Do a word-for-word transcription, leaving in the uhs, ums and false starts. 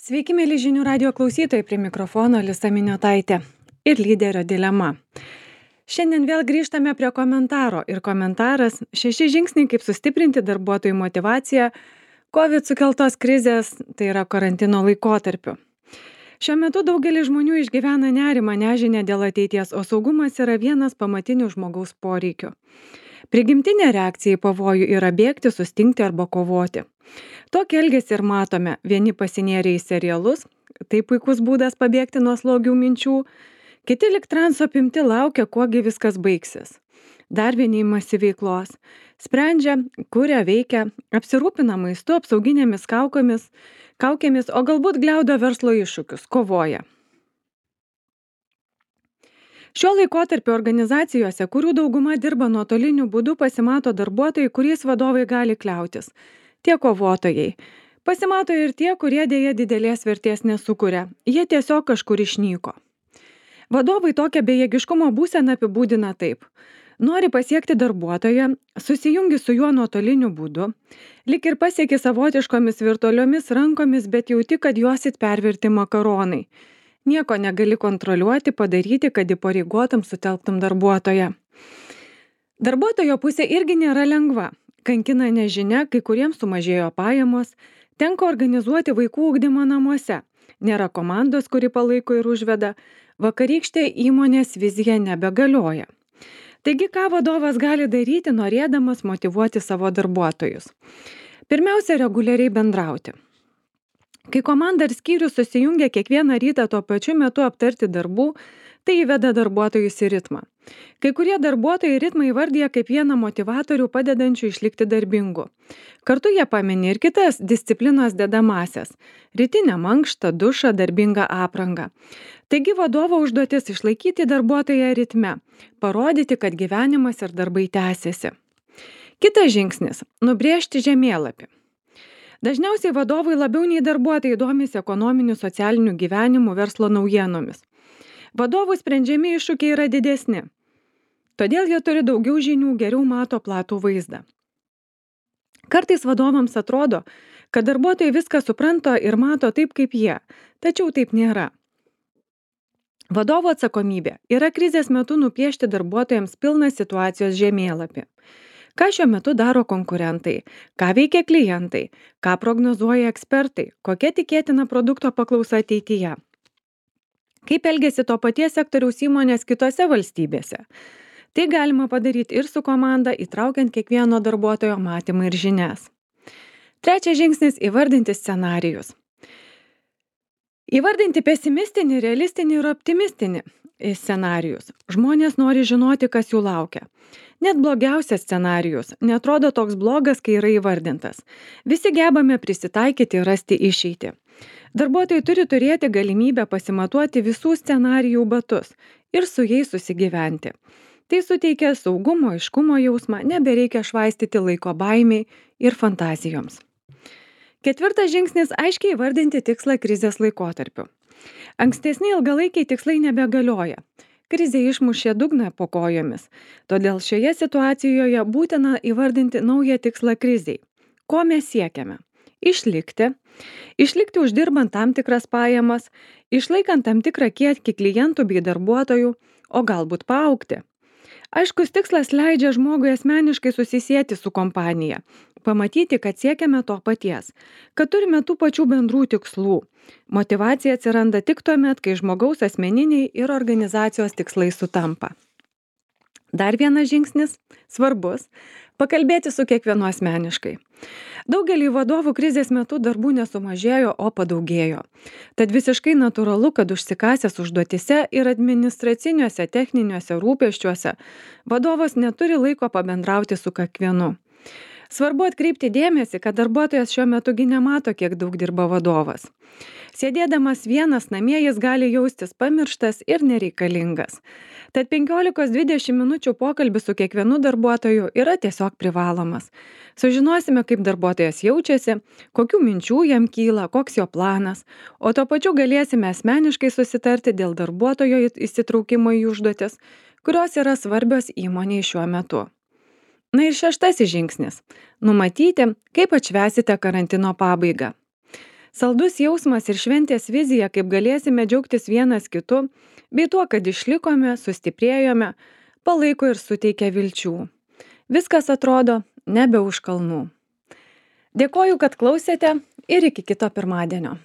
Sveiki, mėly žinių radio klausytojai, prie mikrofono Lisa Miniotaitė ir lyderio dilema. Šiandien vėl grįžtame prie komentaro ir komentaras šeši žingsniai, kaip sustiprinti darbuotojų motivaciją COVID sukeltos krizės, tai yra karantino laikotarpiu. Šiuo metu daugelis žmonių išgyvena nerimą, nežinę dėl ateities, o saugumas yra vienas pamatinių žmogaus poreikių. Prigimtinė reakcija į pavojų yra bėgti, sustingti arba kovoti. Tokį elgesį ir matome, vieni pasinėrė į serialus, tai puikus būdas pabėgti nuo slogių minčių, kiti lik transo apimti laukia, kuogi viskas baigsis. Dar vieni imasi veiklos, sprendžia, kuria veikia, apsirūpina maistu, apsauginėmis kaukomis, kaukėmis, o galbūt gliaudo verslo iššūkius, kovoja. Šiuo laikotarpiu organizacijose, kurių dauguma dirba nuotoliniu būdu, pasimato darbuotojai, kuriais vadovai gali kliautis. Tie kovotojai. Pasimato ir tie, kurie dėja didelės vertės nesukuria. Jie tiesiog kažkur išnyko. Vadovai tokią bejėgiškumo būseną apibūdina taip. Nori pasiekti darbuotoją, susijungi su juo nuotoliniu būdu, lik ir pasieki savotiškomis virtualiomis rankomis, bet jauti, kad juosit pervirti makaronai. Nieko negali kontroliuoti, padaryti, kad įpareigotum sutelktum darbuotoją. Darbuotojo pusė irgi nėra lengva. Kankina nežinia, kai kuriems sumažėjo pajamos, tenka organizuoti vaikų ugdymą namuose. Nėra komandos, kuri palaiko ir užveda, vakarykštė įmonės vizija nebegalioja. Taigi, ką vadovas gali daryti, norėdamas motyvuoti savo darbuotojus? Pirmiausia, reguliariai bendrauti. Kai komanda ir skyrius susijungia kiekvieną rytą tuo pačiu metu aptarti darbų, tai įveda darbuotojus į ritmą. Kai kurie darbuotojai ritmą įvardyja kaip vieną motivatorių padedančių išlikti darbingu. Kartu jie pamini ir kitas disciplinos dedamasias – rytinę mankštą, dušą, darbingą aprangą. Taigi vadovo užduotis išlaikyti darbuotoją ritme, parodyti, kad gyvenimas ir darbai tęsiasi. Kitas žingsnis – nubrėžti žemėlapį. Dažniausiai vadovai labiau nei darbuotojai domisi ekonominiu, socialiniu gyvenimu, verslo naujienomis. Vadovų sprendžiami iššūkiai yra didesni. Todėl jie turi daugiau žinių, geriau mato platų vaizdą. Kartais vadovams atrodo, kad darbuotojai viską supranta ir mato taip, kaip jie, tačiau taip nėra. Vadovo atsakomybė yra krizės metu nupiešti darbuotojams pilną situacijos žemėlapį. Ką šiuo metu daro konkurentai, ką veikia klientai, ką prognozuoja ekspertai, kokia tikėtina produkto paklausa ateityje. Kaip elgiasi to paties sektoriaus įmonės kitose valstybėse. Tai galima padaryti ir su komanda, įtraukiant kiekvieno darbuotojo matymą ir žinias. Trečias žingsnis – įvardinti scenarijus. Įvardinti pesimistinį, realistinį ir optimistinį scenarijus. Žmonės nori žinoti, kas jų laukia. Net blogiausias scenarijus netrodo toks blogas, kai yra įvardintas. Visi gebame prisitaikyti ir rasti išeitį. Darbuotojai turi turėti galimybę pasimatuoti visų scenarijų batus ir su jais susigyventi. Tai suteikia saugumo, aiškumo jausmą, nebereikia švaistyti laiko baimiai ir fantazijoms. Ketvirtas žingsnis – aiškiai įvardinti tikslą krizės laikotarpiu. Ankstesni ilgalaikiai tikslai nebegalioja. Krizė išmušė dugną po kojomis, todėl šioje situacijoje būtina įvardinti naują tikslą krizei. Ko mes siekiame? Išlikti, išlikti uždirbant tam tikras pajamas, išlaikant tam tikrą kiekį klientų bei darbuotojų, o galbūt paaugti. Aiškus tikslas leidžia žmogui asmeniškai susisieti su kompanija, pamatyti, kad siekiame to paties, kad turime tų pačių bendrų tikslų. Motyvacija atsiranda tik tuomet, kai žmogaus asmeniniai ir organizacijos tikslai sutampa. Dar vienas žingsnis, svarbus, pakalbėti su kiekvienu asmeniškai. Daugelį vadovų krizės metu darbų nesumažėjo, o padaugėjo. Tad visiškai natūralu, kad užsikasęs užduotise ir administraciniuose, techniniuose rūpesčiuose vadovas neturi laiko pabendrauti su kiekvienu. Svarbu atkreipti dėmesį, kad darbuotojas šiuo metu gi nemato, kiek daug dirba vadovas. Sėdėdamas vienas namie jis gali jaustis pamirštas ir nereikalingas. Tad penkiolikos dvidešimt minučių pokalbis su kiekvienu darbuotoju yra tiesiog privalomas. Sužinosime, kaip darbuotojas jaučiasi, kokių minčių jam kyla, koks jo planas, o tuo pačiu galėsime asmeniškai susitarti dėl darbuotojo įsitraukimo į užduotis, kurios yra svarbios įmonei šiuo metu. Na ir šeštasis žingsnis – numatyti, kaip atšvęsite karantino pabaigą. Saldus jausmas ir šventės vizija, kaip galėsime džiaugtis vienas kitu, bei tuo, kad išlikome, sustiprėjome, palaiko ir suteikia vilčių. Viskas atrodo nebe už kalnų. Dėkoju, kad klausėte ir iki kito pirmadienio.